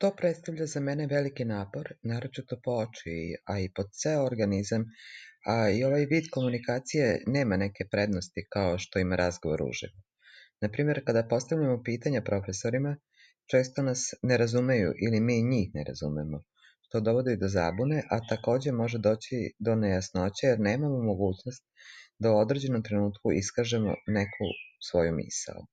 To predstavlja za mene veliki napor, naročito po oči, a i po ceo organizam, a i ovaj vid komunikacije nema neke prednosti kao što ima razgovor uživo. Na primjer, kada postavljamo pitanja profesorima, često nas ne razumeju ili mi njih ne razumemo, što dovodi do zabune, a takođe može doći do nejasnoće jer nemamo mogućnost da u određenom trenutku iskažemo neku svoju misao.